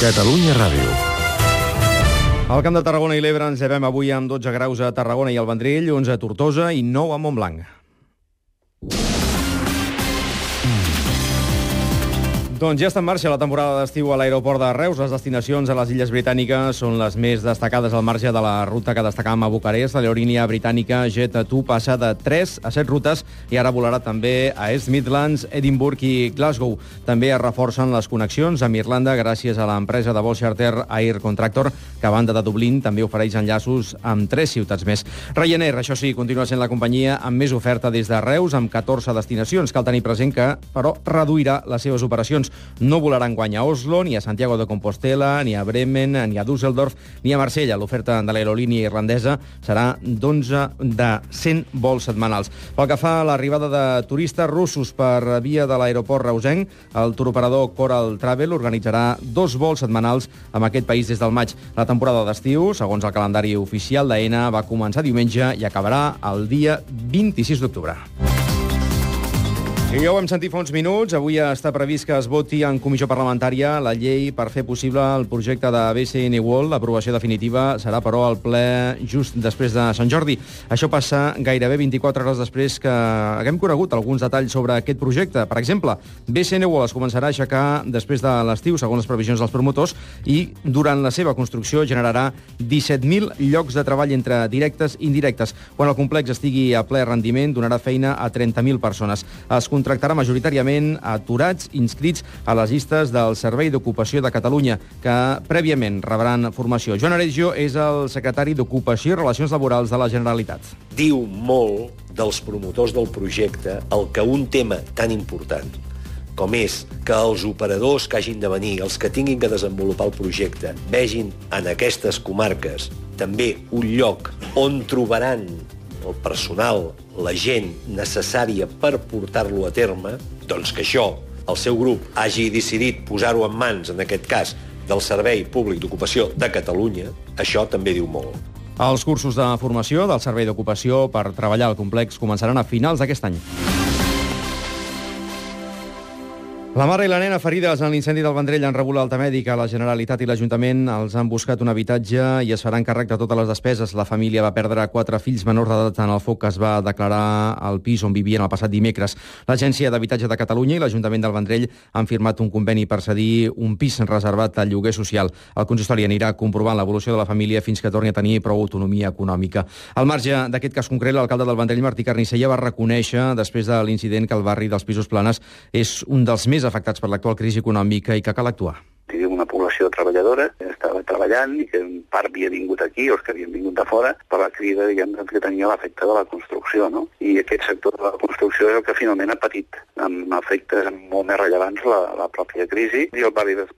Catalunya Ràdio. Al Camp de Tarragona i l'Ebre ens llevem avui amb 12 graus a Tarragona i al Vendrell, 11 a Tortosa i 9 a Montblanc. Doncs ja està en marxa la temporada d'estiu a l'aeroport de Reus. Les destinacions a les Illes Britàniques són les més destacades al marge de la ruta que destacàvem a Bucarest. L'aerolínia britànica Jet2 passa de 3 a 7 rutes i ara volarà també a East Midlands, Edimburg i Glasgow. També es reforcen les connexions amb Irlanda gràcies a l'empresa de vol charter Air Contractor, que a banda de Dublín també ofereix enllaços amb 3 ciutats més. Ryanair, això sí, continua sent la companyia amb més oferta des de Reus, amb 14 destinacions. Cal tenir present que, però, reduirà les seves operacions. No volarà enguany a Oslo, ni a Santiago de Compostela, ni a Bremen, ni a Düsseldorf, ni a Marsella. L'oferta de l'aerolínia irlandesa serà de 100 vols setmanals. Pel que fa a l'arribada de turistes russos per via de l'aeroport reusenc, el turoperador Coral Travel organitzarà 2 vols setmanals amb aquest país des del maig. La temporada d'estiu, segons el calendari oficial d'AENA, va començar diumenge i acabarà el dia 26 d'octubre. I ja ho hem sentit fa uns minuts. Avui està previst que es voti en comissió parlamentària la llei per fer possible el projecte de BCN World. L'aprovació definitiva serà, però, al ple just després de Sant Jordi. Això passa gairebé 24 hores després que haguem conegut alguns detalls sobre aquest projecte. Per exemple, BCN World es començarà a aixecar després de l'estiu, segons les previsions dels promotors, i durant la seva construcció generarà 17.000 llocs de treball entre directes i indirectes. Quan el complex estigui a ple rendiment, donarà feina a 30.000 persones. Es contractarà majoritàriament aturats inscrits a les llistes del Servei d'Ocupació de Catalunya, que prèviament rebran formació. Joan Areggio és el secretari d'Ocupació i Relacions Laborals de la Generalitat. Diu molt dels promotors del projecte el que un tema tan important com és que els operadors que hagin de venir, els que tinguin que desenvolupar el projecte, vegin en aquestes comarques també un lloc on trobaran el personal, la gent necessària per portar-lo a terme, doncs que això, el seu grup, hagi decidit posar-ho en mans, en aquest cas, del Servei Públic d'Ocupació de Catalunya, això també diu molt. Els cursos de formació del Servei d'Ocupació per treballar al complex començaran a finals d'aquest any. La mare i la nena ferides en l'incendi del Vendrell han rebut l'alta mèdica. La Generalitat i l'Ajuntament els han buscat un habitatge i es faran càrrec de totes les despeses. La família va perdre 4 fills menors d'edat en el foc que es va declarar al pis on vivien el passat dimecres. L'Agència d'Habitatge de Catalunya i l'Ajuntament del Vendrell han firmat un conveni per cedir un pis reservat al lloguer social. El consistori anirà comprovant l'evolució de la família fins que torni a tenir prou autonomia econòmica. Al marge d'aquest cas concret, l'alcalde del Vendrell, Martí Carnicer, va reconèixer, després de l'incident, que el barri dels Pisos Planes és un dels més afectats per l'actual crisi econòmica i que cal actuar. Tenim una població treballadora que estava treballant i que en part havia vingut aquí, o els que havien vingut de fora, per la crida, diguem, que tenia l'efecte de la construcció, no? I aquest sector de la construcció és el que finalment ha patit, amb efectes molt més rellevants la pròpia crisi, i el barri dels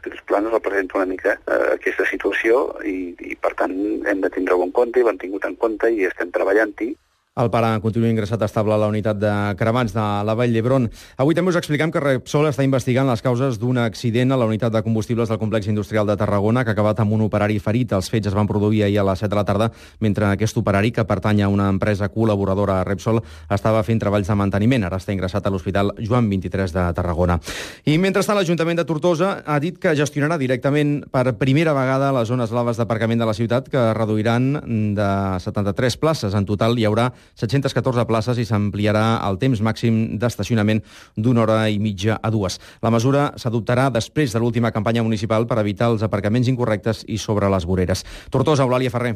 Pisos Planes representa una mica aquesta situació i per tant hem de tindre-ho en compte i l'hem tingut en compte i estem treballant-hi. El pare continua ingressat estable a la unitat de cremats de la Vall d'Hebron. Avui també us expliquem que Repsol està investigant les causes d'un accident a la unitat de combustibles del complex industrial de Tarragona que ha acabat amb un operari ferit. Els fets es van produir ahir a les 7 de la tarda, mentre aquest operari, que pertany a una empresa col·laboradora a Repsol, estava fent treballs de manteniment. Ara està ingressat a l'Hospital Joan 23 de Tarragona. I mentrestant, l'Ajuntament de Tortosa ha dit que gestionarà directament per primera vegada les zones blaves d'aparcament de la ciutat, que reduiran de 73 places. En total hi haurà 714 places i s'ampliarà el temps màxim d'estacionament d'1 hora i mitja a 2. La mesura s'adoptarà després de l'última campanya municipal per evitar els aparcaments incorrectes i sobre les voreres. Tortosa, Eulàlia Ferrer.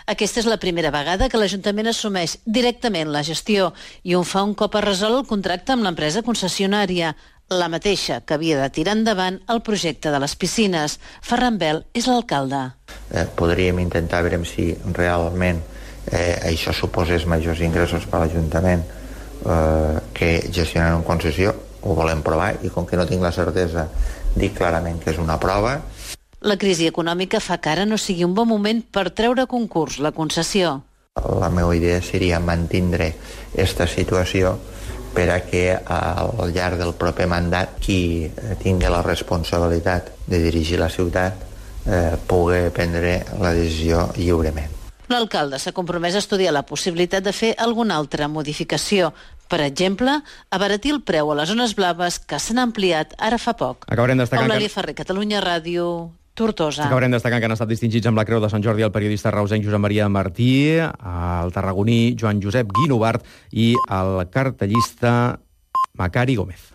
Aquesta és la primera vegada que l'Ajuntament assumeix directament la gestió i ho fa un cop es resol el contracte amb l'empresa concessionària, la mateixa que havia de tirar endavant el projecte de les piscines. Ferran Bel és l'alcalde. Podríem intentar veure si realment això suposés majors ingressos per a l'Ajuntament que gestionant una concessió. Ho volem provar i com que no tinc la certesa dic clarament que és una prova. La crisi econòmica fa que ara no sigui un bon moment per treure a concurs la concessió. La meva idea seria mantindre aquesta situació per a que al llarg del proper mandat qui tingui la responsabilitat de dirigir la ciutat pugui prendre la decisió lliurement. L'alcalde s'ha compromès a estudiar la possibilitat de fer alguna altra modificació, Per exemple, abaratir el preu a les zones blaves que s'han ampliat ara fa poc. Acabarem destacant Eulàlia Ferrer, Catalunya Ràdio, Tortosa. Acabarem destacant que han estat distingits amb la Creu de Sant Jordi el periodista reusenc Josep Maria Martí, el tarragoní Joan Josep Guinovart i el cartellista Macari Gómez.